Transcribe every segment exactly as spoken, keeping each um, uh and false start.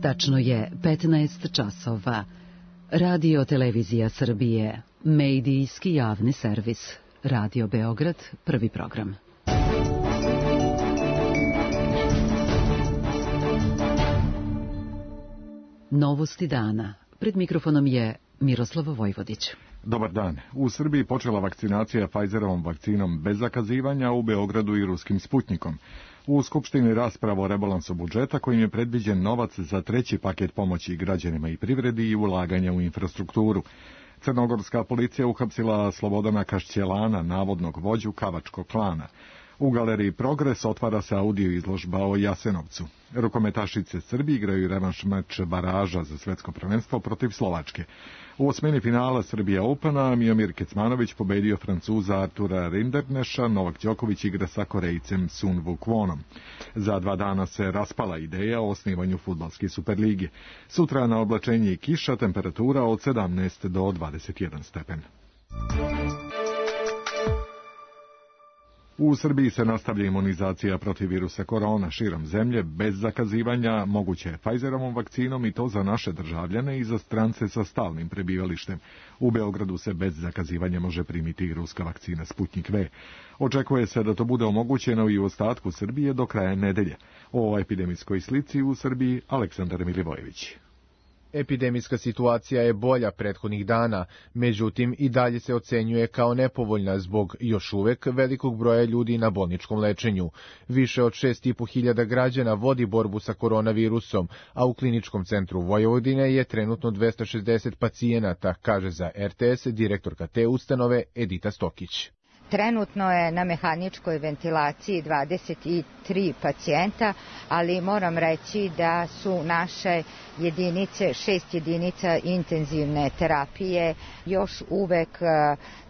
Tačno je petnaest časova. Radio Televizija Srbije, medijski javni servis. Radio Beograd, prvi program. Novosti dana. Pred mikrofonom je Miroslav Vojvodić. Dobar dan. U Srbiji počela vakcinacija Pfizerovom vakcinom bez zakazivanja, u Beogradu i ruskim Sputnikom. U Skupštini rasprava o rebalansu budžeta kojim je predviđen novac za treći paket pomoći građanima i privredi i ulaganja u infrastrukturu. Crnogorska policija uhapsila Slobodana Kašćelana, navodnog vođu Kavačkog klana. U galeriji Progres otvara se audio izložba o Jasenovcu. Rukometašice Srbije igraju revanš meč baraža za svetsko prvenstvo protiv Slovačke. U osmini finala Srbija Opena Miomir Kecmanović pobedio Francuza Artura Rinderkneša, Novak Đoković igra sa Korejcem Sun Wukwonom. Za dva dana se raspala ideja o osnivanju fudbalske superlige. Sutra na oblačenje i kiša, temperatura od sedamnaest do dvadeset jedan stepen. U Srbiji se nastavlja imunizacija protiv virusa korona širom zemlje bez zakazivanja, moguće je Pfizerovom vakcinom i to za naše državljane i za strance sa stalnim prebivalištem. U Beogradu se bez zakazivanja može primiti i ruska vakcina Sputnik V. Očekuje se da to bude omogućeno i u ostatku Srbije do kraja nedelje. O epidemijskoj slici u Srbiji Aleksandar Milivojević. Epidemijska situacija je bolja prethodnih dana, međutim i dalje se ocenjuje kao nepovoljna zbog još uvek velikog broja ljudi na bolničkom lečenju. Više od šest i po hiljada građana vodi borbu sa koronavirusom, a u Kliničkom centru Vojvodine je trenutno dvesta šezdeset pacijenata, kaže za R T S direktorka te ustanove Edita Stokić. Trenutno je na mehaničkoj ventilaciji dvadeset tri pacijenta, ali moram reći da su naše jedinice, šest jedinica intenzivne terapije još uvek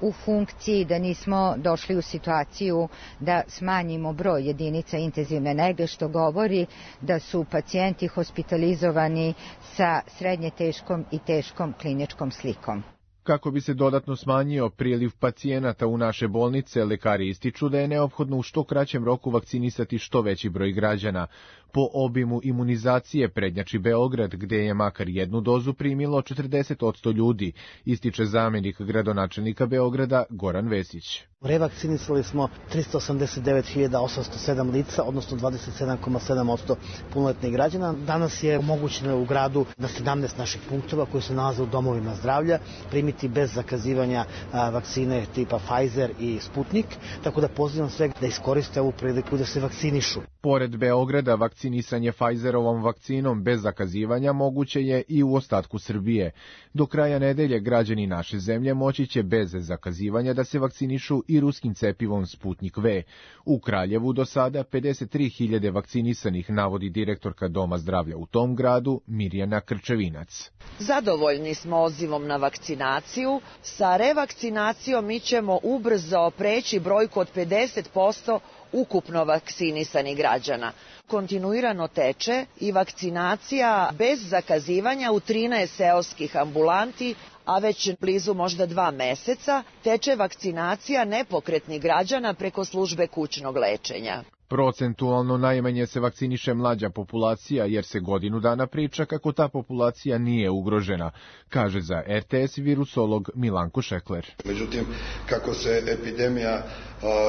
u funkciji, da nismo došli u situaciju da smanjimo broj jedinica intenzivne nege, što govori da su pacijenti hospitalizovani sa srednje teškom i teškom kliničkom slikom. Kako bi se dodatno smanjio priliv pacijenata u naše bolnice, lekari ističu da je neophodno u što kraćem roku vakcinisati što veći broj građana. Po obimu imunizacije prednjači Beograd, gde je makar jednu dozu primilo četrdeset posto ljudi, ističe zamenik gradonačelnika Beograda Goran Vesić. Revakcinisali smo trista osamdeset devet hiljada osamsto sedam lica, odnosno dvadeset sedam zarez sedam posto punoletnih građana. Danas je omogućeno u gradu na sedamnaest naših punktova koji se nalaze u domovima zdravlja primiti bez zakazivanja a, vakcine tipa Pfizer i Sputnik, tako da pozivam sve da iskoriste ovu priliku da se vakcinišu. Pored Beograda, vakcinisanje Pfizerovom vakcinom bez zakazivanja moguće je i u ostatku Srbije. Do kraja nedelje građani naše zemlje moći će bez zakazivanja da se vakcinišu i ruskim cepivom Sputnik V. U Kraljevu do sada pedeset tri hiljade vakcinisanih, navodi direktorka Doma zdravlja u tom gradu Mirjana Krčevinac. Zadovoljni smo odzivom na vakcinaciju. Sa revakcinacijom mi ćemo ubrzo preći brojku od pedeset posto ukupno vakcinisanih građana. Kontinuirano teče i vakcinacija bez zakazivanja u trinaest seoskih ambulanti, a već blizu možda dva meseca teče vakcinacija nepokretnih građana preko službe kućnog lečenja. Procentualno najmanje se vakciniše mlađa populacija, jer se godinu dana priča kako ta populacija nije ugrožena, kaže za R T S virusolog Milanko Šekler. Međutim, kako se epidemija a,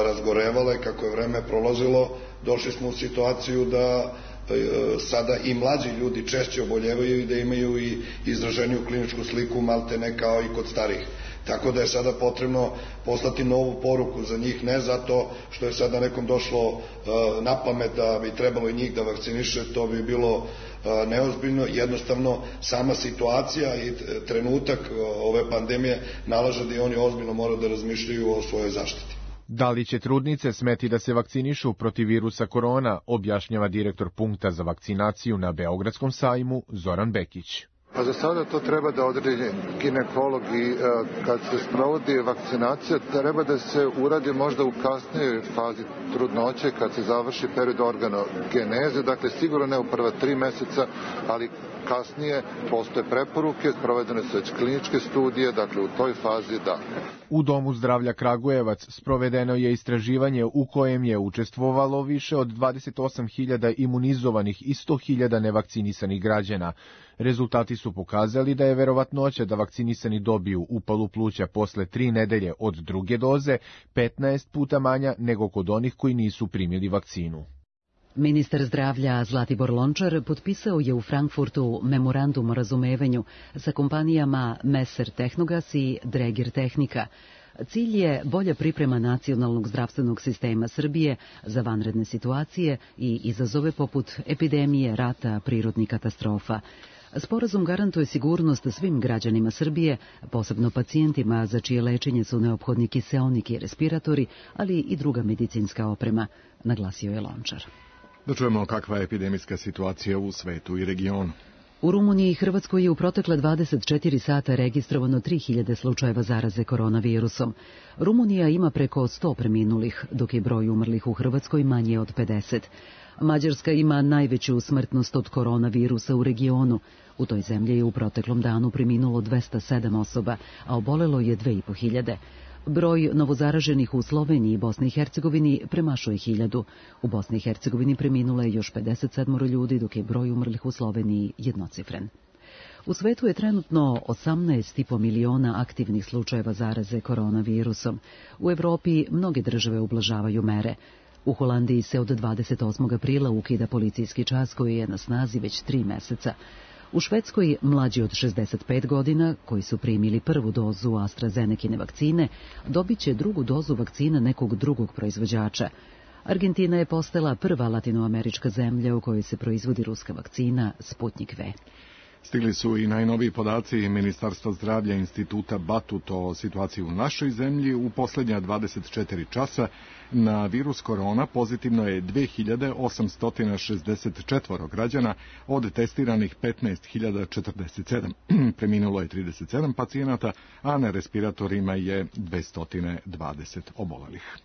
razgorevala i kako je vreme prolazilo, došli smo u situaciju da sada i mlađi ljudi češće oboljevaju i da imaju i izraženiju kliničku sliku maltene kao i kod starih. Tako da je sada potrebno poslati novu poruku za njih, ne zato što je sada nekom došlo na pamet da bi trebalo i njih da vakciniše, to bi bilo neozbiljno. Jednostavno, sama situacija i trenutak ove pandemije nalaže da i oni ozbiljno moraju da razmišljaju o svojoj zaštiti. Da li će trudnice smeti da se vakcinišu protiv virusa korona, objašnjava direktor punkta za vakcinaciju na Beogradskom sajmu Zoran Bekić. Pa za sada to treba da odredi ginekolog i kad se sprovodi vakcinacija treba da se uradi možda u kasnijoj fazi trudnoće kad se završi period organogeneze, dakle sigurno ne u prva tri meseca, ali kasnije postoje preporuke, provedene su već kliničke studije, dakle u toj fazi da. U Domu zdravlja Kragujevac sprovedeno je istraživanje u kojem je učestvovalo više od dvadeset osam hiljada imunizovanih i sto hiljada nevakcinisanih građana. Rezultati su pokazali da je verovatnoća da vakcinisani dobiju upalu pluća posle tri nedelje od druge doze petnaest puta manja nego kod onih koji nisu primili vakcinu. Ministar zdravlja Zlatibor Lončar potpisao je u Frankfurtu memorandum o razumevanju sa kompanijama Messer Tehnogas i Dräger Tehnika. Cilj je bolja priprema nacionalnog zdravstvenog sistema Srbije za vanredne situacije i izazove poput epidemije, rata, prirodnih katastrofa. Sporazum garantuje sigurnost svim građanima Srbije, posebno pacijentima za čije lečenje su neophodni kiseonik i respiratori, ali i druga medicinska oprema, naglasio je Lončar. Da čujemo kakva je epidemijska situacija u svetu i regionu. U Rumuniji i Hrvatskoj je u protekle dvadeset četiri sata registrovano tri hiljade slučajeva zaraze koronavirusom. Rumunija ima preko sto preminulih, dok je broj umrlih u Hrvatskoj manje od pedeset. Mađarska ima najveću smrtnost od koronavirusa u regionu. U toj zemlji je u proteklom danu preminulo dvesta sedam osoba, a obolelo je dve i po hiljade. Broj novozaraženih u Sloveniji i Bosni i Hercegovini premašuje hiljadu. U Bosni i Hercegovini preminulo je još pedeset sedam ljudi, dok je broj umrlih u Sloveniji jednocifren. U svetu je trenutno osamnaest i po miliona aktivnih slučajeva zaraze koronavirusom. U Evropi mnoge države ublažavaju mere. U Holandiji se od dvadeset osmog aprila ukida policijski čas koji je na snazi već tri meseca. U Švedskoj mlađi od šezdeset pet godina, koji su primili prvu dozu AstraZenekine vakcine, dobit će drugu dozu vakcina nekog drugog proizvođača. Argentina je postala prva latinoamerička zemlja u kojoj se proizvodi ruska vakcina Sputnik V. Stigli su i najnoviji podaci Ministarstva zdravlja Instituta Batut o situaciji u našoj zemlji. U posljednja dvadeset četiri časa na virus korona pozitivno je dve hiljade osamsto šezdeset četiri građana od testiranih petnaest hiljada četrdeset sedam. Preminulo je trideset sedam pacijenata, a na respiratorima je dvesta dvadeset obolelih.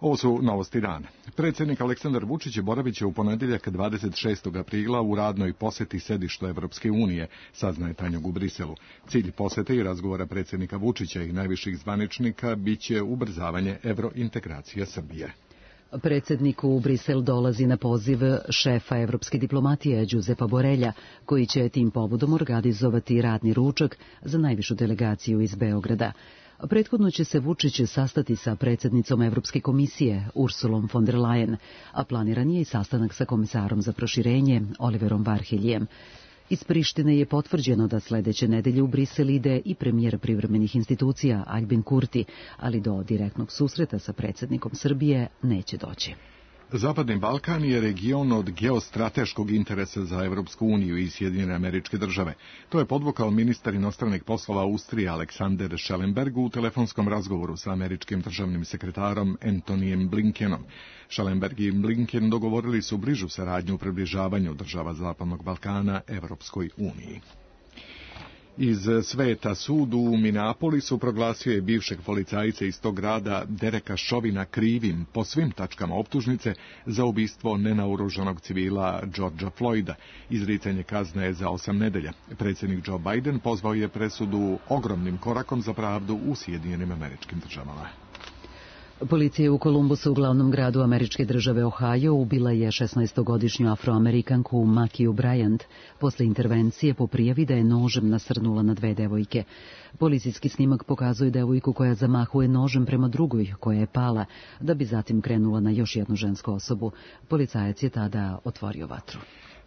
Ovo su novosti dana. Predsjednik Aleksandar Vučić boravit će u ponedjeljak dvadeset šestog aprila u radnoj posjeti sedištu Evropske unije, saznaje Tanjug u Briselu. Cilj posjete i razgovora predsjednika Vučića i najviših zvaničnika biće ubrzavanje evrointegracije Srbije. Predsjednik u Brisel dolazi na poziv šefa evropske diplomatije Giuseppa Borrella, koji će tim povodom organizovati radni ručak za najvišu delegaciju iz Beograda. Prethodno će se Vučić sastati sa predsjednicom Evropske komisije Ursulom von der Leyen, a planiran je i sastanak sa komisarom za proširenje Oliverom Varheljem. Iz Prištine je potvrđeno da sljedeće nedelje u Brisel ide i premijer privremenih institucija Aljbin Kurti, ali do direktnog susreta sa predsjednikom Srbije neće doći. Zapadni Balkan je region od geostrateškog interesa za Evropsku uniju i Sjedinjene Američke Države. To je podvukao ministar inostranih poslova Austrije Alexander Schallenberg u telefonskom razgovoru sa američkim državnim sekretarom Antonijem Blinkenom. Schallenberg i Blinken dogovorili su bližu saradnju u približavanju država Zapadnog Balkana Evropskoj uniji. Iz sveta sud u Minneapolisu proglasio je bivšeg policajca iz tog grada Dereka Chauvina krivim po svim tačkama optužnice za ubistvo nenaoružanog civila Georgea Floyda. Izricanje kazne je za osam nedelja. Predsjednik Joe Biden pozvao je presudu ogromnim korakom za pravdu u Sjedinjenim Američkim Državama. Policija u Kolumbusu, u glavnom gradu američke države Ohio, ubila je šesnaestogodišnju afroamerikanku Makiju Bryant posle intervencije po prijavi da je nožem nasrnula na dve devojke. Policijski snimak pokazuje devojku koja zamahuje nožem prema drugoj koja je pala, da bi zatim krenula na još jednu žensku osobu. Policajac je tada otvorio vatru.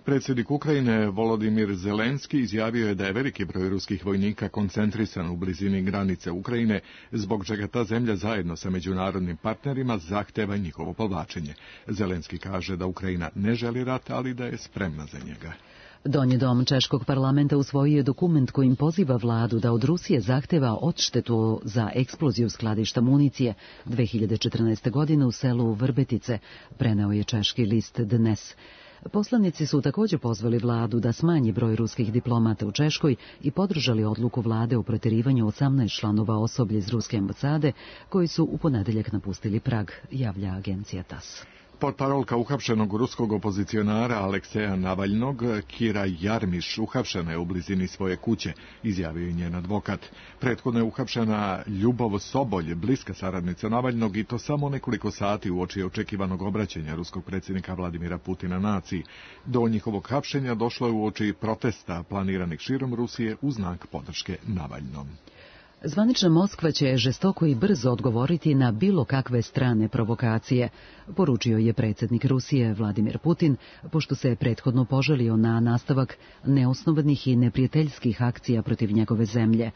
Predsjednik Ukrajine Volodimir Zelenski izjavio je da je veliki broj ruskih vojnika koncentrisan u blizini granice Ukrajine, zbog čega ta zemlja zajedno sa međunarodnim partnerima zahteva njihovo povlačenje. Zelenski kaže da Ukrajina ne želi rat, ali da je spremna za njega. Donji dom Češkog parlamenta usvojio je dokument kojim poziva vladu da od Rusije zahteva odštetu za eksploziju skladišta municije dve hiljade četrnaeste. godine u selu Vrbetice, preneo je češki list Dnes. Poslanici su također pozvali vladu da smanji broj ruskih diplomata u Češkoj i podržali odluku vlade o protjerivanju osamnaest članova osoblja iz ruske ambasade koji su u ponedjeljak napustili Prag, javlja agencija tas. Portparolka uhapšenog ruskog opozicionara Alekseja Navalnog, Kira Jarmiš, uhapšena je u blizini svoje kuće, izjavio je njen advokat. Prethodno je uhapšena Ljubov Sobolj, bliska saradnica Navalnog, i to samo nekoliko sati uoči očekivanog obraćanja ruskog predsjednika Vladimira Putina naciji. Do njihovog hapšenja došlo je uoči protesta planiranih širom Rusije u znak podrške Navalnom. Zvanična Moskva će žestoko i brzo odgovoriti na bilo kakve strane provokacije, poručio je predsjednik Rusije Vladimir Putin, pošto se prethodno požalio na nastavak neosnovanih i neprijateljskih akcija protiv njegove zemlje.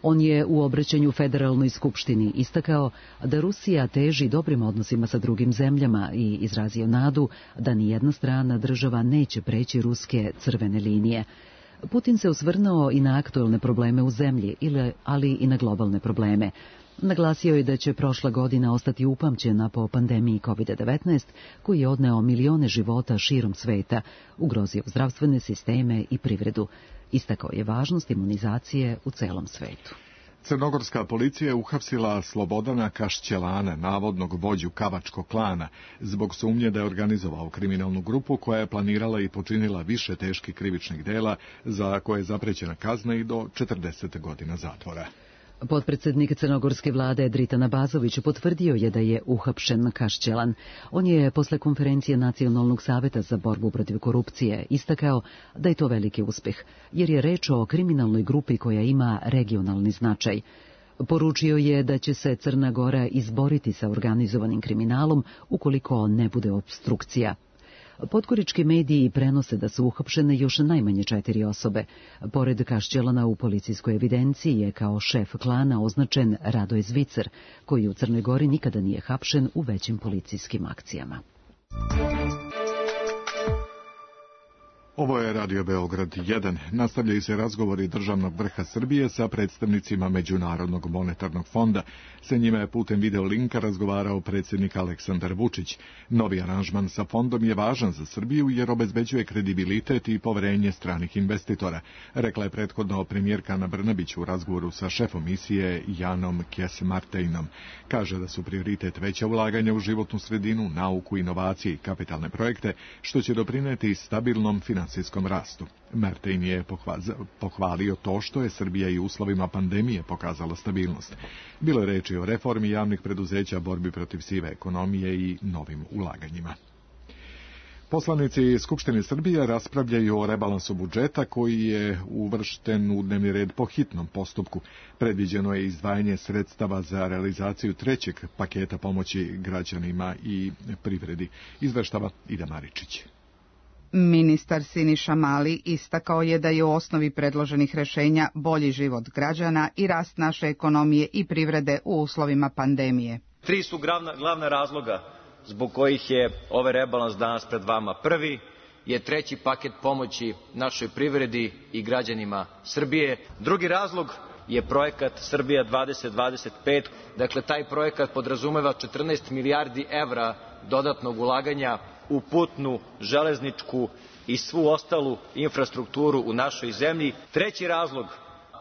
On je u obraćanju Federalnoj skupštini istakao da Rusija teži dobrim odnosima sa drugim zemljama i izrazio nadu da nijedna strana država neće preći ruske crvene linije. Putin se osvrnuo i na aktuelne probleme u zemlji, ali i na globalne probleme. Naglasio je da će prošla godina ostati upamćena po pandemiji kovid devetnaest, koji je odneo milione života širom sveta, ugrozio zdravstvene sisteme i privredu. Istakao je važnost imunizacije u celom svetu. Crnogorska policija je uhapsila Slobodana Kašćelana, navodnog vođu Kavačkog klana, zbog sumnje da je organizovao kriminalnu grupu koja je planirala i počinila više teških krivičnih dela za koje je zaprećena kazna i do četrdeset godina zatvora. Potpredsjednik crnogorske vlade Dritan Abazović potvrdio je da je uhapšen Kašćelan. On je posle konferencije Nacionalnog saveta za borbu protiv korupcije istakao da je to veliki uspjeh, jer je reč o kriminalnoj grupi koja ima regionalni značaj. Poručio je da će se Crna Gora izboriti sa organizovanim kriminalom ukoliko ne bude opstrukcija. Podgorički mediji prenose da su uhapšene još najmanje četiri osobe. Pored Kašćelana u policijskoj evidenciji je kao šef klana označen Radoje Zvicer, koji u Crnoj Gori nikada nije hapšen u većim policijskim akcijama. Ovo je Radio Beograd jedan. Nastavljaju se razgovori državnog vrha Srbije sa predstavnicima Međunarodnog monetarnog fonda. Sa njima je putem video linka razgovarao predsjednik Aleksandar Vučić. Novi aranžman sa fondom je važan za Srbiju jer obezbeđuje kredibilitet i poverenje stranih investitora, rekla je prethodno premijerka Ana Brnabić u razgovoru sa šefom misije Janom Kjes-Martejnom. Kaže da su prioritet veća ulaganja u životnu sredinu, nauku, inovacije i kapitalne projekte, što će doprineti stabilnom financijskom rastu. Martejn je pohvalio to što je Srbija i u uslovima pandemije pokazala stabilnost. Bilo je reči o reformi javnih preduzeća, borbi protiv sive ekonomije i novim ulaganjima. Poslanici Skupštine Srbije raspravljaju o rebalansu budžeta koji je uvršten u dnevni red po hitnom postupku. Predviđeno je izdvajanje sredstava za realizaciju trećeg paketa pomoći građanima i privredi. Izveštava Ida Maričić. Ministar Siniša Mali istakao je da je u osnovi predloženih rešenja bolji život građana i rast naše ekonomije i privrede u uslovima pandemije. Tri su glavna, glavna razloga zbog kojih je ovaj rebalans danas pred vama. Prvi je treći paket pomoći našoj privredi i građanima Srbije. Drugi razlog je projekat Srbija dvadeset dvadeset pet. Dakle, taj projekat podrazumeva četrnaest milijardi evra dodatnog ulaganja u putnu, železničku i svu ostalu infrastrukturu u našoj zemlji. Treći razlog,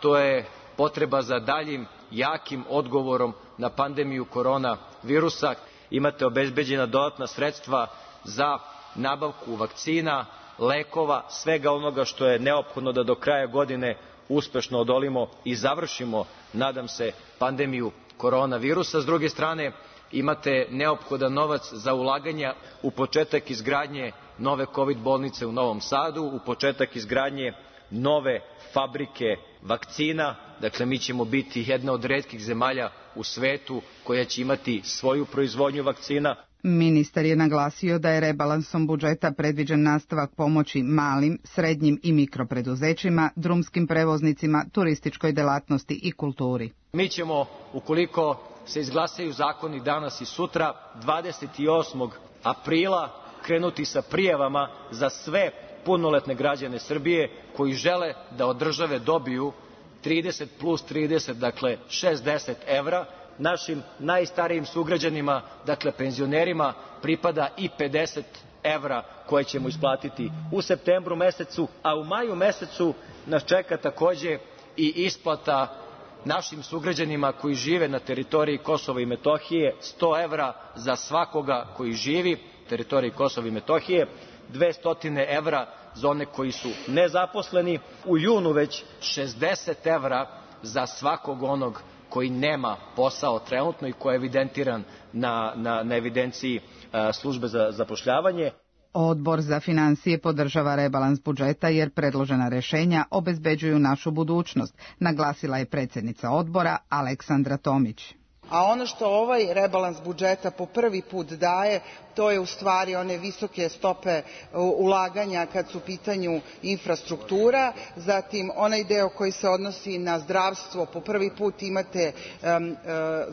to je potreba za daljim jakim odgovorom na pandemiju korona virusa. Imate obezbeđena dodatna sredstva za nabavku vakcina, lekova, svega onoga što je neophodno da do kraja godine uspešno odolimo i završimo, nadam se, pandemiju koronavirusa. S druge strane, imate neophodan novac za ulaganja u početak izgradnje nove kovid bolnice u Novom Sadu, u početak izgradnje nove fabrike vakcina. Dakle, mi ćemo biti jedna od retkih zemalja u svetu koja će imati svoju proizvodnju vakcina. Ministar je naglasio da je rebalansom budžeta predviđen nastavak pomoći malim, srednjim i mikropreduzećima, drumskim prevoznicima, turističkoj delatnosti i kulturi. Mi ćemo, ukoliko se izglasaju zakoni danas i sutra, dvadeset osmog aprila krenuti sa prijavama za sve punoletne građane Srbije koji žele da od države dobiju trideset plus trideset, dakle šezdeset evra. Našim najstarijim sugrađanima, dakle penzionerima, pripada i pedeset evra koje ćemo isplatiti u septembru mesecu, a u maju mesecu nas čeka takođe i isplata našim sugrađanima koji žive na teritoriji Kosova i Metohije, sto evra za svakoga koji živi teritoriji Kosova i Metohije, dvesta evra za one koji su nezaposleni, u junu već šezdeset evra za svakog onog koji nema posao trenutno i koji je evidentiran na, na, na evidenciji a, službe za zapošljavanje. Odbor za financije podržava rebalans budžeta jer predložena rešenja obezbeđuju našu budućnost, naglasila je predsjednica odbora Aleksandra Tomić. A ono što ovaj rebalans budžeta po prvi put daje, to je u stvari one visoke stope ulaganja kad su u pitanju infrastruktura, zatim onaj deo koji se odnosi na zdravstvo, po prvi put imate um, uh,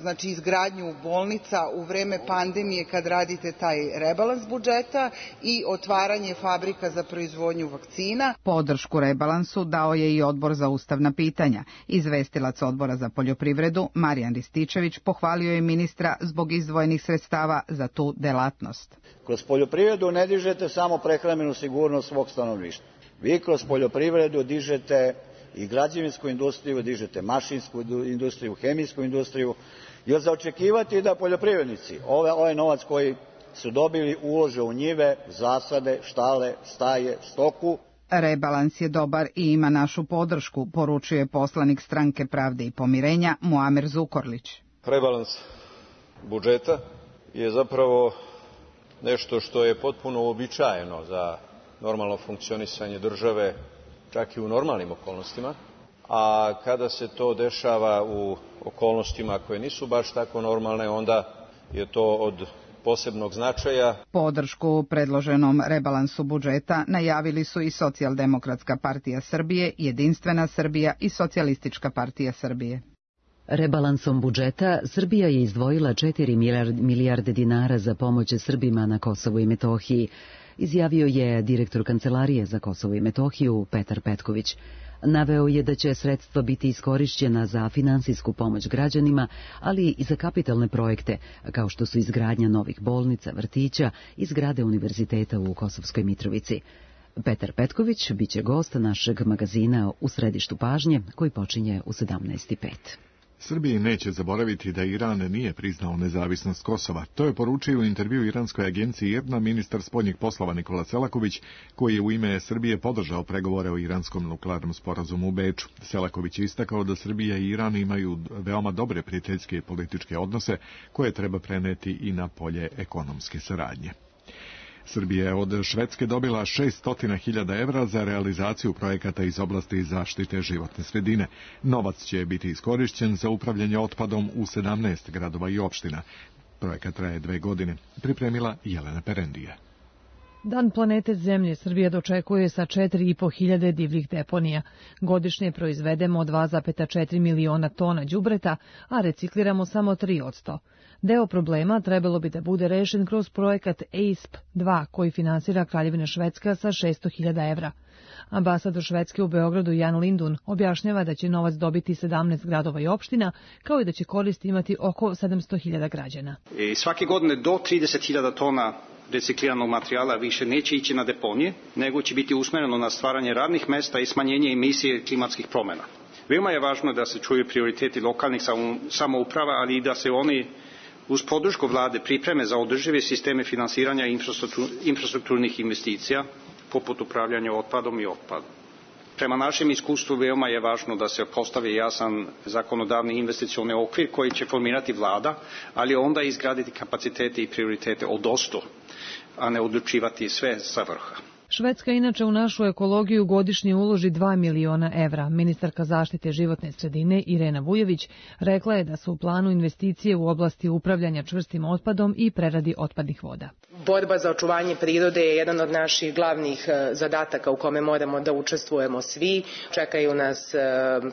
znači izgradnju bolnica u vreme pandemije kad radite taj rebalans budžeta i otvaranje fabrika za proizvodnju vakcina. Podršku rebalansu dao je i Odbor za ustavna pitanja. Izvestilac Odbora za poljoprivredu Marijan Rističević pohvalio je ministra zbog izdvojenih sredstava za tu delatnost. Kroz poljoprivredu ne dižete samo prehrambenu sigurnost svog stanovništva. Vi kroz poljoprivredu dižete i građevinsku industriju, dižete mašinsku industriju, hemijsku industriju. Jer za očekivati da poljoprivrednici ovaj, ovaj novac koji su dobili ulože u njive, zasade, štale, staje, stoku. Rebalans je dobar i ima našu podršku, poručuje poslanik Stranke pravde i pomirenja Muamer Zukorlić. Rebalans budžeta je zapravo nešto što je potpuno uobičajeno za normalno funkcionisanje države, čak i u normalnim okolnostima, a kada se to dešava u okolnostima koje nisu baš tako normalne, onda je to od posebnog značaja. Podršku predloženom rebalansu budžeta najavili su i Socijaldemokratska partija Srbije, Jedinstvena Srbija i Socijalistička partija Srbije. Rebalansom budžeta Srbija je izdvojila četiri milijarde dinara za pomoć Srbima na Kosovu i Metohiji, izjavio je direktor Kancelarije za Kosovo i Metohiju Petar Petković. Naveo je da će sredstva biti iskorišćena za finansijsku pomoć građanima, ali i za kapitalne projekte, kao što su izgradnja novih bolnica, vrtića i zgrade univerziteta u Kosovskoj Mitrovici. Petar Petković biće gost našeg magazina U središtu pažnje, koji počinje u sedamnaest i pet. Srbiji neće zaboraviti da Iran nije priznao nezavisnost Kosova. To je poručio u intervju iranskoj agenciji IRNA ministar spoljnih poslova Nikola Selaković, koji je u ime Srbije podržao pregovore o iranskom nuklearnom sporazumu u Beču. Selaković je istakao da Srbija i Iran imaju veoma dobre prijateljske i političke odnose, koje treba preneti i na polje ekonomske saradnje. Srbija je od Švedske dobila šessto hiljada evra za realizaciju projekata iz oblasti zaštite životne sredine. Novac će biti iskorišćen za upravljanje otpadom u sedamnaest gradova i opština. Projekat traje dve godine. Pripremila Jelena Perendija. Dan planete Zemlje Srbija dočekuje sa četiri i po hiljade divljih deponija. Godišnje proizvedemo dva zarez četiri miliona tona đubreta, a recikliramo samo tri posto. Deo problema trebalo bi da bude rešen kroz projekat E I S P dva, koji finansira Kraljevina Švedska sa šessto hiljada evra. Ambasador Švedske u Beogradu Jan Lindun objašnjava da će novac dobiti sedamnaest gradova i opština, kao i da će korist imati oko sedamsto hiljada građana. I svake godine do trideset hiljada tona recikliranog materijala više neće ići na deponije, nego će biti usmereno na stvaranje radnih mesta i smanjenje emisije klimatskih promjena. Veoma je važno da se čuju prioriteti lokalnih samouprava, ali i da se oni uz podršku vlade pripreme za održive sisteme finansiranja infrastrukturnih investicija, poput upravljanja otpadom i otpadom. Prema našem iskustvu veoma je važno da se postavi jasan zakonodavni investicioni okvir koji će formirati vlada, ali onda izgraditi kapacitete i prioritete odozdo, a ne odlučivati sve sa vrha. Švedska inače u našu ekologiju godišnje uloži dva miliona evra. Ministarka zaštite životne sredine Irena Vujović rekla je da su u planu investicije u oblasti upravljanja čvrstim otpadom i preradi otpadnih voda. Borba za očuvanje prirode je jedan od naših glavnih zadataka u kome moramo da učestvujemo svi. Čekaju nas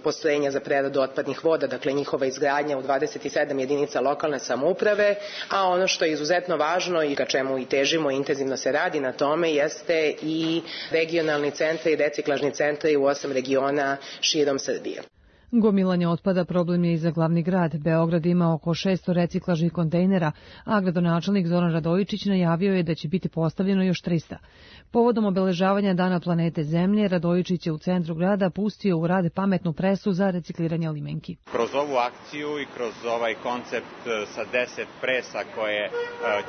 postrojenja za preradu otpadnih voda, dakle njihova izgradnja u dvadeset sedam jedinica lokalne samouprave, a ono što je izuzetno važno i ka čemu i težimo, intenzivno se radi na tome, jeste i regionalni centri i reciklažni centri u osam regiona širom Srbije. Gomilanje otpada problem je i za glavni grad. Beograd ima oko šesto reciklažnih kontejnera, a gradonačelnik Zoran Radojičić najavio je da će biti postavljeno još trista. Povodom obeležavanja Dana planete Zemlje, Radojičić je u centru grada pustio u rad pametnu presu za recikliranje limenki. Kroz ovu akciju i kroz ovaj koncept sa deset presa koje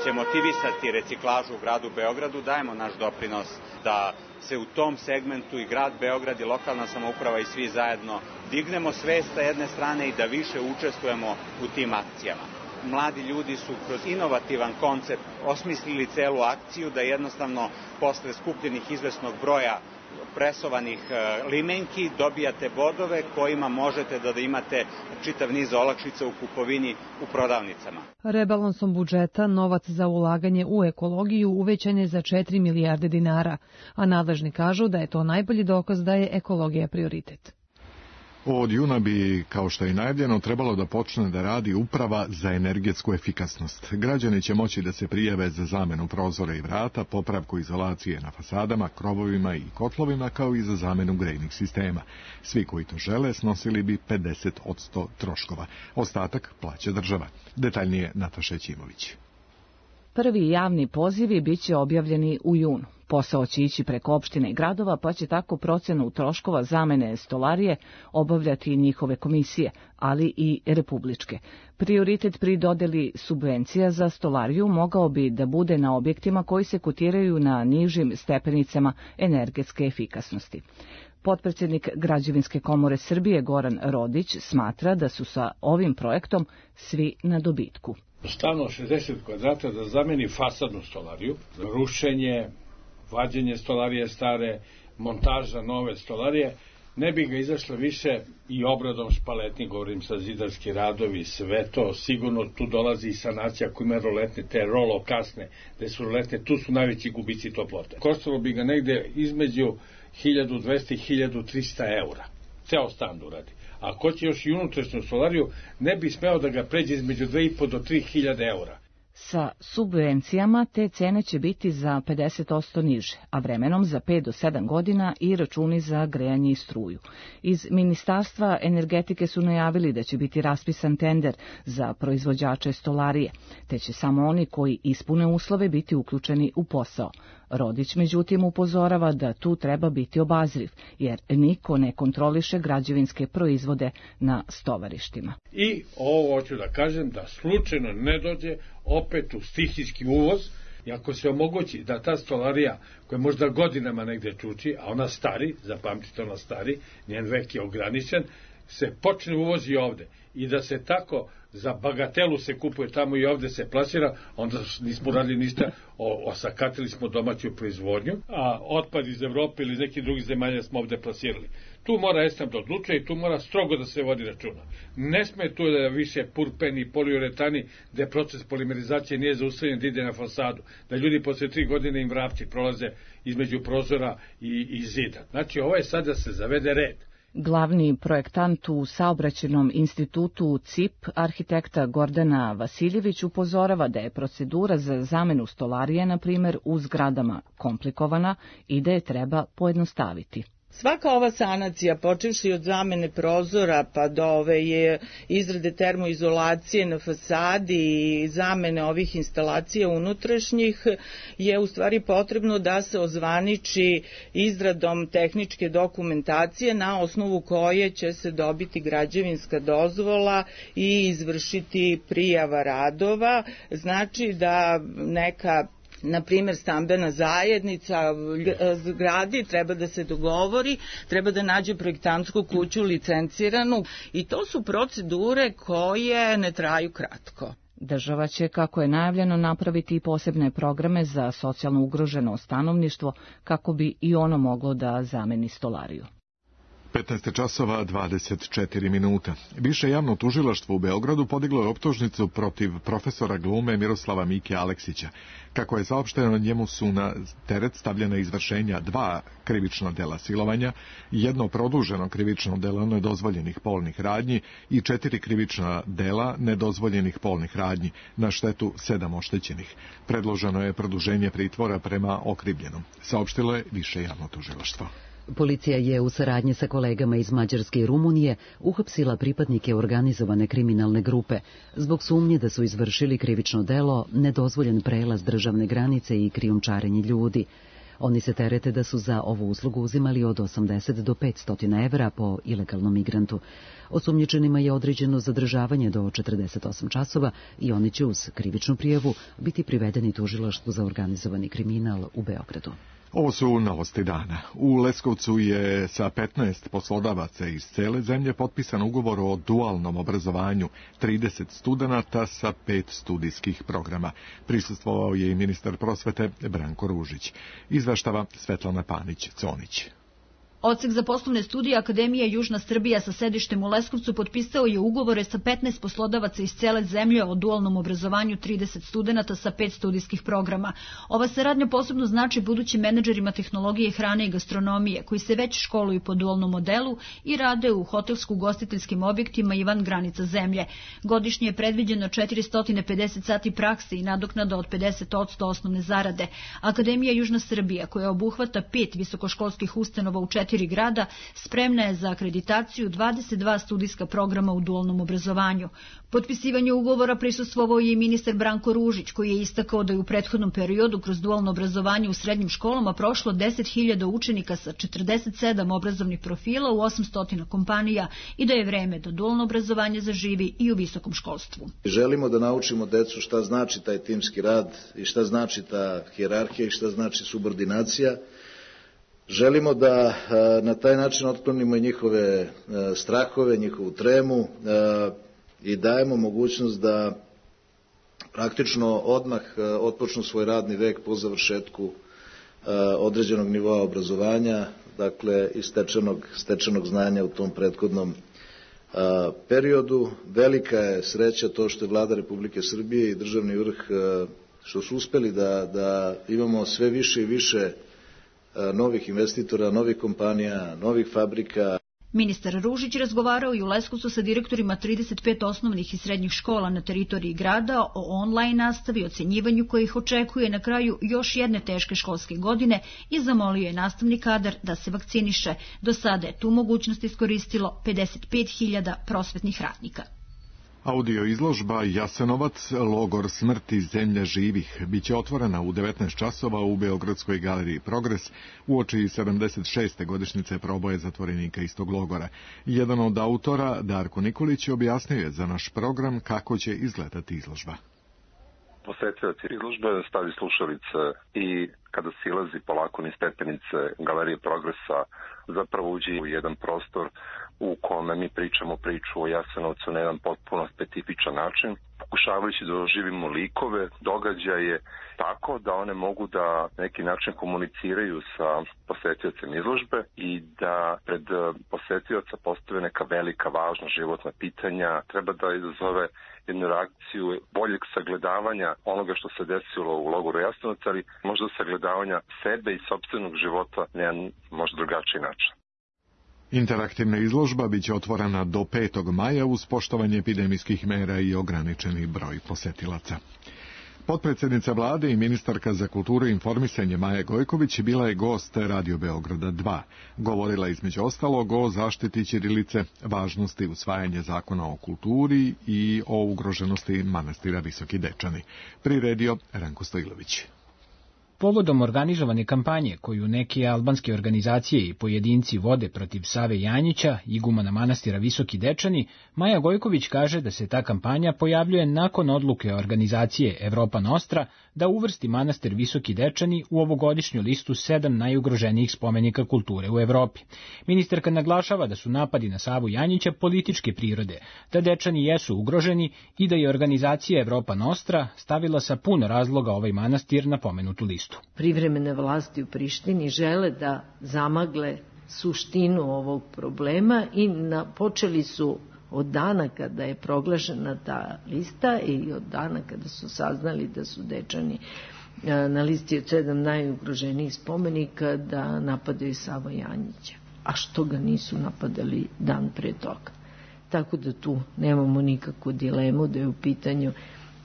će motivisati reciklažu u gradu Beogradu, dajemo naš doprinos da se u tom segmentu i grad Beograd i lokalna samouprava i svi zajedno dignemo svest sa jedne strane i da više učestvujemo u tim akcijama. Mladi ljudi su kroz inovativan koncept osmislili celu akciju da jednostavno posle skupljenih izvesnog broja presovanih limenki dobijate bodove kojima možete da imate čitav niz olakšica u kupovini u prodavnicama. Rebalansom budžeta novac za ulaganje u ekologiju uvećan je za četiri milijarde dinara, a nadležni kažu da je to najbolji dokaz da je ekologija prioritet. Od juna bi, kao što je i najavljeno, trebalo da počne da radi uprava za energetsku efikasnost. Građani će moći da se prijave za zamenu prozora i vrata, popravku izolacije na fasadama, krovovima i kotlovima, kao i za zamenu grejnih sistema. Svi koji to žele snosili bi pedeset posto troškova. Ostatak plaća država. Detaljnije Nataša Ćimović. Prvi javni pozivi biće objavljeni u junu. Posao će ići preko opštine i gradova, pa će tako procenu troškova zamene stolarije obavljati njihove komisije, ali i republičke. Prioritet pri dodeli subvencija za stolariju mogao bi da bude na objektima koji se kotiraju na nižim stepenicama energetske efikasnosti. Potpredsjednik Građevinske komore Srbije Goran Rodić smatra da su sa ovim projektom svi na dobitku. Stavno šezdeset kvadrata da zameni fasadnu stolariju, rušenje, vađenje stolarije stare, montaža nove stolarije, ne bi ga izašlo više i obradom špaletni, govorim sa zidarski radovi, sve to, sigurno tu dolazi i sanacija ako ima roletne, te rolo kasne, gde su roletne, tu su najveći gubici toplote. Koštalo bi ga negde između hiljadu dvesta i hiljadu trista eura, ceo stan da uradi. A ako će još i unutrašnju stolariju, ne bi smeo da ga pređe između dve i po do tri hiljade eura. Sa subvencijama te cene će biti za pedeset posto niže, a vremenom za pet do sedam godina i računi za grejanje i struju. Iz Ministarstva energetike su najavili da će biti raspisan tender za proizvođače stolarije, te će samo oni koji ispune uslove biti uključeni u posao. Rodić, međutim, upozorava da tu treba biti obazriv, jer niko ne kontroliše građevinske proizvode na stovarištima. I ovo hoću da kažem da slučajno ne dođe opet u stihijski uvoz, i ako se omogući da ta stolarija, koja možda godinama negde čuči, a ona stari, zapamtite ona stari, njen vek je ograničen, se počne uvozi ovde i da se tako za bagatelu se kupuje tamo i ovde se plasira, onda nismo radili ništa, osakatili smo domaću proizvodnju, a otpad iz Evrope ili iz nekih drugih zemalja smo ovde plasirali. Tu mora ESNAP da odlučuje i tu mora strogo da se vodi računa. Ne sme tu da više purpeni, poliuretani, gde proces polimerizacije nije zaustavljen da ide na fasadu, da ljudi posle tri godine im vrapci prolaze između prozora i, i zida. Znači, ovo je sad da se zavede red. Glavni projektant u Saobraćajnom institutu C I P, arhitekta Gordana Vasiljević, upozorava da je procedura za zamenu stolarije, na primjer, u zgradama komplikovana i da je treba pojednostaviti. Svaka ova sanacija, počevši od zamene prozora pa do ove je izrade termoizolacije na fasadi i zamene ovih instalacija unutrašnjih, je u stvari potrebno da se ozvaniči izradom tehničke dokumentacije na osnovu koje će se dobiti građevinska dozvola i izvršiti prijava radova. Znači da neka na primjer stambena zajednica zgradi treba da se dogovori, treba da nađe projektantsku kuću licenciranu i to su procedure koje ne traju kratko. Država će, kako je najavljeno, napraviti i posebne programe za socijalno ugroženo stanovništvo kako bi i ono moglo da zameni stolariju. petnaest časova dvadeset četiri minuta. Više javno tužilaštvo u Beogradu podiglo je optužnicu protiv profesora glume Miroslava Mike Aleksića. Kako je saopšteno, njemu su na teret stavljena izvršenja dva krivična dela silovanja, jedno produženo krivično delo nedozvoljenih polnih radnji i četiri krivična dela nedozvoljenih polnih radnji, na štetu sedam oštećenih. Predloženo je produženje pritvora prema okrivljenom, saopštilo je više javno tužilaštvo. Policija je u saradnji sa kolegama iz Mađarske i Rumunije uhapsila pripadnike organizovane kriminalne grupe zbog sumnje da su izvršili krivično delo, nedozvoljen prelaz državne granice i krijumčarenje ljudi. Oni se terete da su za ovu uslugu uzimali od osamdeset do petsto evra po ilegalnom migrantu. Osumnjičenima je određeno zadržavanje do četrdeset osam časova i oni će uz krivičnu prijavu biti privedeni tužilaštvu za organizovani kriminal u Beogradu. Ovo su novosti dana. U Leskovcu je sa petnaest poslodavaca iz cele zemlje potpisan ugovor o dualnom obrazovanju, trideset studenata sa pet studijskih programa. Prisustvovao je i ministar prosvete Branko Ružić. Izveštava Svetlana Panić-Conić. Odsek za poslovne studije Akademije Južna Srbija sa sedištem u Leskovcu potpisao je ugovore sa petnaest poslodavaca iz cele zemlje o dualnom obrazovanju trideset studenata sa pet studijskih programa. Ova saradnja posebno znači budućim menadžerima tehnologije, hrane i gastronomije, koji se već školuju po dualnom modelu i rade u hotelsko-ugostiteljskim objektima i van granica zemlje. Godišnje je predviđeno četiristo pedeset sati prakse i nadoknada od pedeset posto osnovne zarade. Akademija Južna Srbija, koja obuhvata pet visokoškolskih ustanova u četiri grada, spremna je za akreditaciju dvadeset dva studijska programa u dualnom obrazovanju. Potpisivanje ugovora prisustvovao je i ministar Branko Ružić, koji je istakao da je u prethodnom periodu kroz dualno obrazovanje u srednjim školama prošlo deset hiljada učenika sa četrdeset sedam obrazovnih profila u osamsto kompanija i da je vreme da dualno obrazovanje zaživi i u visokom školstvu. Želimo da naučimo decu šta znači taj timski rad i šta znači ta hijerarhija i šta znači subordinacija. Želimo da na taj način otklonimo i njihove strahove, njihovu tremu i dajemo mogućnost da praktično odmah otpočnu svoj radni vek po završetku određenog nivoa obrazovanja, dakle i stečenog, stečenog znanja u tom prethodnom periodu. Velika je sreća to što je Vlada Republike Srbije i državni vrh što su uspeli da, da imamo sve više i više novih investitora, novih kompanija, novih fabrika. Ministar Ružić razgovarao i u Leskovcu sa direktorima trideset pet osnovnih i srednjih škola na teritoriji grada o online nastavi, ocenjivanju koje ih očekuje na kraju još jedne teške školske godine i zamolio je nastavni kadar da se vakciniše. Do sada je tu mogućnost iskoristilo pedeset pet hiljada prosvetnih radnika. Audio izložba Jasenovac, logor smrti zemlja živih, biće otvorena u devetnaest časova u Beogradskoj galeriji Progres uoči sedamdeset šeste godišnjice proboja zatvorenika istog logora. Jedan od autora, Darko Nikolić, objasnio je za naš program kako će izgledati izložba. Posetioc izložbe stavi slušalice i kada silazi polako niz stepenice galerije Progresa zapravo uđe u jedan prostor u kome mi pričamo priču o Jasenovcu na jedan potpuno specifičan način, pokušavajući da doživimo likove, događaje tako da one mogu da neki način komuniciraju sa posetiocem izložbe i da pred posetioca postave neka velika, važna životna pitanja, treba da izazove jednu reakciju boljeg sagledavanja onoga što se desilo u logoru Jasenovac, ali možda sagledavanja sebe i sopstvenog života na jedan možda drugačiji način. Interaktivna izložba biće otvorena do petog maja uz poštovanje epidemijskih mera i ograničeni broj posetilaca. Potpredsjednica vlade i ministarka za kulturu i informisanje Maja Gojković bila je gost Radio Beograda dva. Govorila između ostalog o zaštiti ćirilice, važnosti usvajanja zakona o kulturi i o ugroženosti manastira Visoki Dečani. Priredio Ranko Stojlović. Povodom organizovane kampanje koju neke albanske organizacije i pojedinci vode protiv Save Janjića, igumana manastira Visoki Dečani, Maja Gojković kaže da se ta kampanja pojavljuje nakon odluke organizacije Evropa Nostra da uvrsti manastir Visoki Dečani u ovogodišnju listu sedam najugroženijih spomenika kulture u Evropi. Ministarka naglašava da su napadi na Savu Janjića političke prirode, da Dečani jesu ugroženi i da je organizacija Evropa Nostra stavila sa puno razloga ovaj manastir na pomenutu listu. Privremene vlasti u Prištini žele da zamagle suštinu ovog problema i na, počeli su od dana kada je proglašena ta lista i od dana kada su saznali da su Dečani na listi od sedam najugroženijih spomenika da napadaju Savu Janjića. A što ga nisu napadali dan pre toga? Tako da tu nemamo nikakvu dilemu da je u pitanju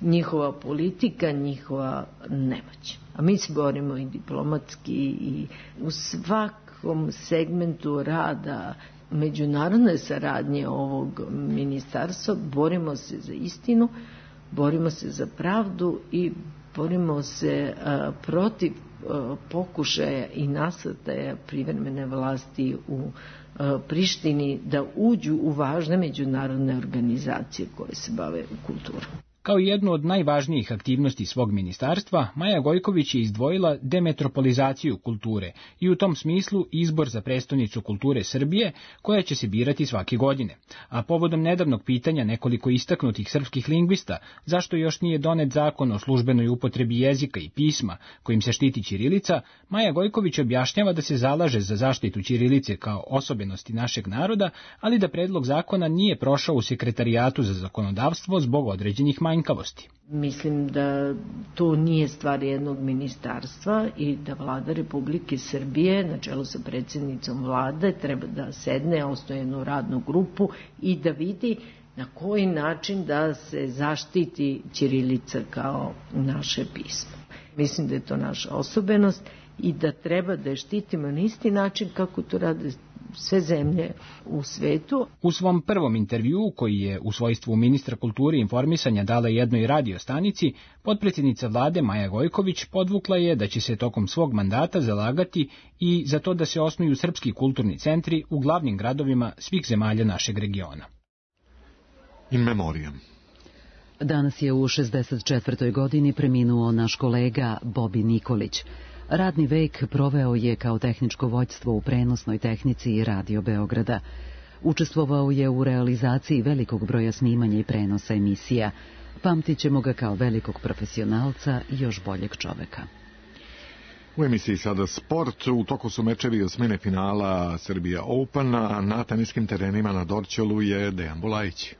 njihova politika, njihova nemoć. A mi se borimo i diplomatski i u svak svakom segmentu rada međunarodne saradnje ovog ministarstva borimo se za istinu, borimo se za pravdu i borimo se a, protiv a, pokušaja i nasrtaja privremene vlasti u a, Prištini da uđu u važne međunarodne organizacije koje se bave kulturom. Kao jednu od najvažnijih aktivnosti svog ministarstva, Maja Gojković je izdvojila demetropolizaciju kulture i u tom smislu izbor za prestonicu kulture Srbije, koja će se birati svake godine. A povodom nedavnog pitanja nekoliko istaknutih srpskih lingvista, zašto još nije donet zakon o službenoj upotrebi jezika i pisma kojim se štiti ćirilica, Maja Gojković objašnjava da se zalaže za zaštitu ćirilice kao osobenosti našeg naroda, ali da predlog zakona nije prošao u Sekretarijatu za zakonodavstvo zbog određenih manjkavosti. Mislim da to nije stvar jednog ministarstva i da vlada Republike Srbije na čelu sa predsjednicom vlade treba da sedne, osnuje jednu radnu grupu i da vidi na koji način da se zaštiti ćirilica kao naše pismo. Mislim da je to naša osobenost i da treba da je štitimo na isti način kako to rade sve zemlje u svetu. U svom prvom intervjuu, koji je u svojstvu ministra kulture i informisanja dala jednoj radio stanici, potpredsjednica vlade Maja Gojković podvukla je da će se tokom svog mandata zalagati i za to da se osnuju srpski kulturni centri u glavnim gradovima svih zemalja našeg regiona. In memoriam. Danas je u šezdeset četvrtoj godini preminuo naš kolega Bobi Nikolić. Radni vek proveo je kao tehničko vođstvo u prenosnoj tehnici Radio Beograda. Učestvovao je u realizaciji velikog broja snimanja i prenosa emisija. Pamtit ćemo ga kao velikog profesionalca i još boljeg čoveka. U emisiji sada sport. U toku su mečevi osmine finala Serbia Open, a na teniskim terenima na Dorćolu je Dejan Bulajić.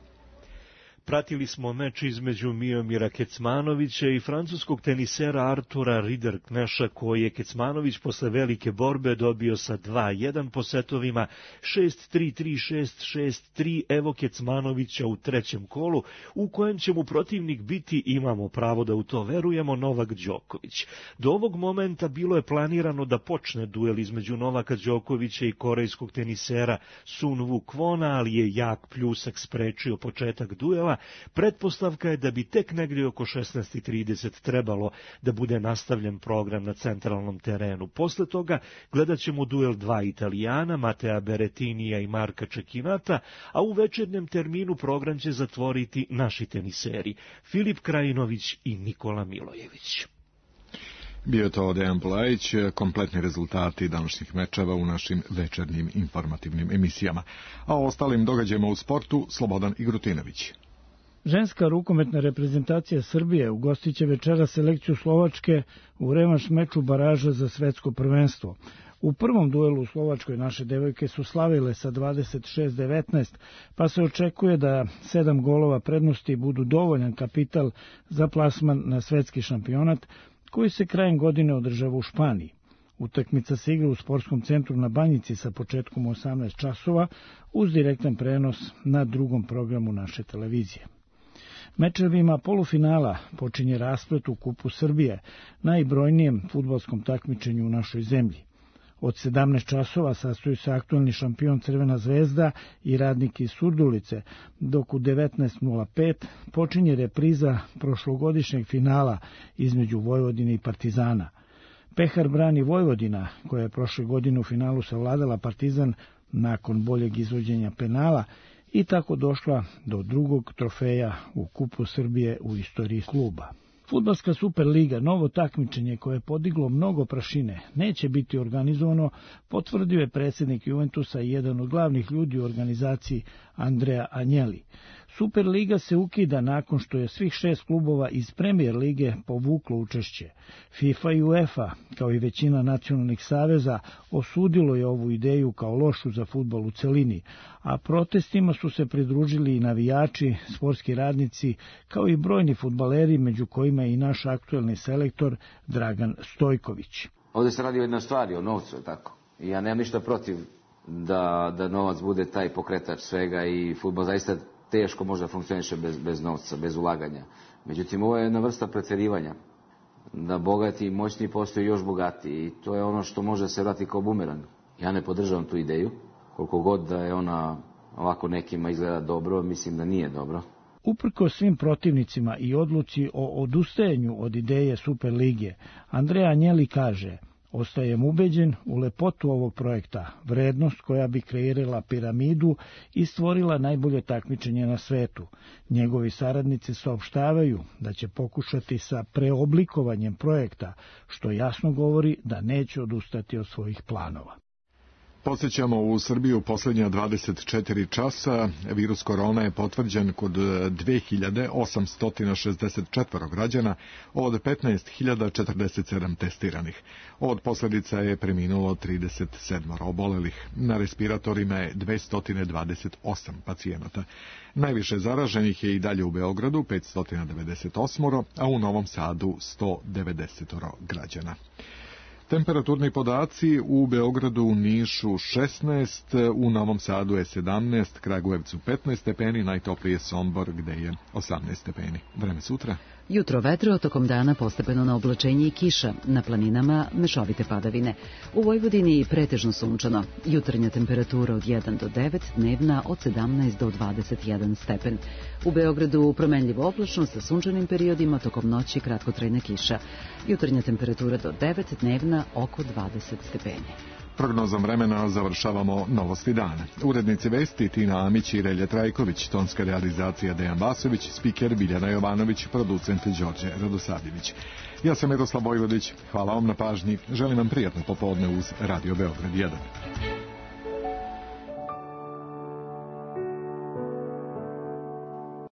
Pratili smo meč između Miomira Kecmanovića i francuskog tenisera Artura Ridderkneša, koji je Kecmanović posle velike borbe dobio sa dva jedan po setovima, šest tri, tri šest, šest tri. Evo Kecmanovića u trećem kolu, u kojem će mu protivnik biti, imamo pravo da u to verujemo, Novak Đoković. Do ovog momenta bilo je planirano da počne duel između Novaka Đokovića i korejskog tenisera Sun Woo Kwona, ali je jak pljusak sprečio početak duela. Pretpostavka je da bi tek negdje oko šesnaest trideset trebalo da bude nastavljen program na centralnom terenu. Posle toga gledat ćemo duel dva Italijana, Matea Berettinija i Marka Čekinata, a u večernjem terminu program će zatvoriti naši teniseri Filip Krajinović i Nikola Milojević. Bio je to Dejan Bulajić, kompletni rezultati današnjih mečeva u našim večernjim informativnim emisijama. A o ostalim događajima u sportu Slobodan Igrutinović. Ženska rukometna reprezentacija Srbije ugostit će večera selekciju Slovačke u revanš meču baraža za svetsko prvenstvo. U prvom duelu u Slovačkoj naše devojke su slavile sa dvadeset šest devetnaest, pa se očekuje da sedam golova prednosti budu dovoljan kapital za plasman na svetski šampionat, koji se krajem godine održava u Španiji. Utakmica se igra u sportskom centru na Banjici sa početkom u osamnaest časova uz direktan prenos na drugom programu naše televizije. Mečevima polufinala počinje rasplet u Kupu Srbije, najbrojnijem fudbalskom takmičenju u našoj zemlji. Od sedamnaest časova sastoji se aktualni šampion Crvena zvezda i Radnik iz Surdulice, dok u devetnaest nula pet počinje repriza prošlogodišnjeg finala između Vojvodine i Partizana. Pehar brani Vojvodina, koja je prošle godine u finalu savladala Partizan nakon boljeg izvođenja penala i tako došla do drugog trofeja u Kupu Srbije u istoriji kluba. Fudbalska Superliga, novo takmičenje koje je podiglo mnogo prašine, neće biti organizovano, potvrdio je predsjednik Juventusa i jedan od glavnih ljudi u organizaciji Andrea Agnelli. Superliga se ukida nakon što je svih šest klubova iz Premier lige povuklo učešće. FIFA i UEFA, kao i većina nacionalnih saveza, osudilo je ovu ideju kao lošu za fudbal u celini, a protestima su se pridružili i navijači, sportski radnici, kao i brojni fudbaleri, među kojima je i naš aktuelni selektor Dragan Stojković. Ovdje se radi o jednoj stvari, o novcu, tako. I ja nemam ništa protiv da, da novac bude taj pokretač svega i fudbal zaista teško možda funkcioniše bez, bez novca, bez ulaganja. Međutim, ovo je jedna vrsta pretjerivanja. Da bogati i moćni postaju još bogatiji i to je ono što može se vrati kao bumerang. Ja ne podržavam tu ideju, koliko god da je ona ovako nekima izgleda dobro, mislim da nije dobro. Uprko svim protivnicima i odluci o odustajanju od ideje Superlige, Andreja Anjeli kaže: ostajem ubeđen u lepotu ovog projekta, vrednost koja bi kreirala piramidu i stvorila najbolje takmičenje na svetu. Njegovi saradnici saopštavaju da će pokušati sa preoblikovanjem projekta, što jasno govori da neće odustati od svojih planova. Podsjećamo, u Srbiju posljednja dvadeset četiri časa virus korona je potvrđen kod dve hiljade osamsto šezdeset četiri građana od petnaest hiljada četrdeset sedam testiranih. Od posljedica je preminulo trideset sedam obolelih. Na respiratorima je dvesta dvadeset osam pacijenata. Najviše zaraženih je i dalje u Beogradu, petsto devedeset osam, a u Novom Sadu sto devedeset građana. Temperaturni podaci: u Beogradu, u Nišu šesnaest, u Novom Sadu je sedamnaest, Kragujevcu petnaest stepeni, najtoplije Sombor gde je osamnaest stepeni. Vreme sutra. Jutro vetro, tokom dana postepeno na oblačenje i kiša, na planinama mešovite padavine. U Vojvodini pretežno sunčano, jutarnja temperatura od jedan do devet, dnevna od sedamnaest do dvadeset jedan stepen. U Beogradu promenljivo oblačno sa sunčanim periodima, tokom noći kratkotrajna kiša. Jutarnja temperatura do devet, dnevna oko dvadeset stepeni. Prognozom vremena završavamo novosti dana. Urednici vesti Tina Amić i Relje Trajković, tonska realizacija Dejan Vasović, spiker Biljana Jovanović, producent Đorđe Radosavljević. Ja sam Miroslav Vojvodić, hvala vam na pažnji, želim vam prijatno popodne uz Radio Beograd jedan.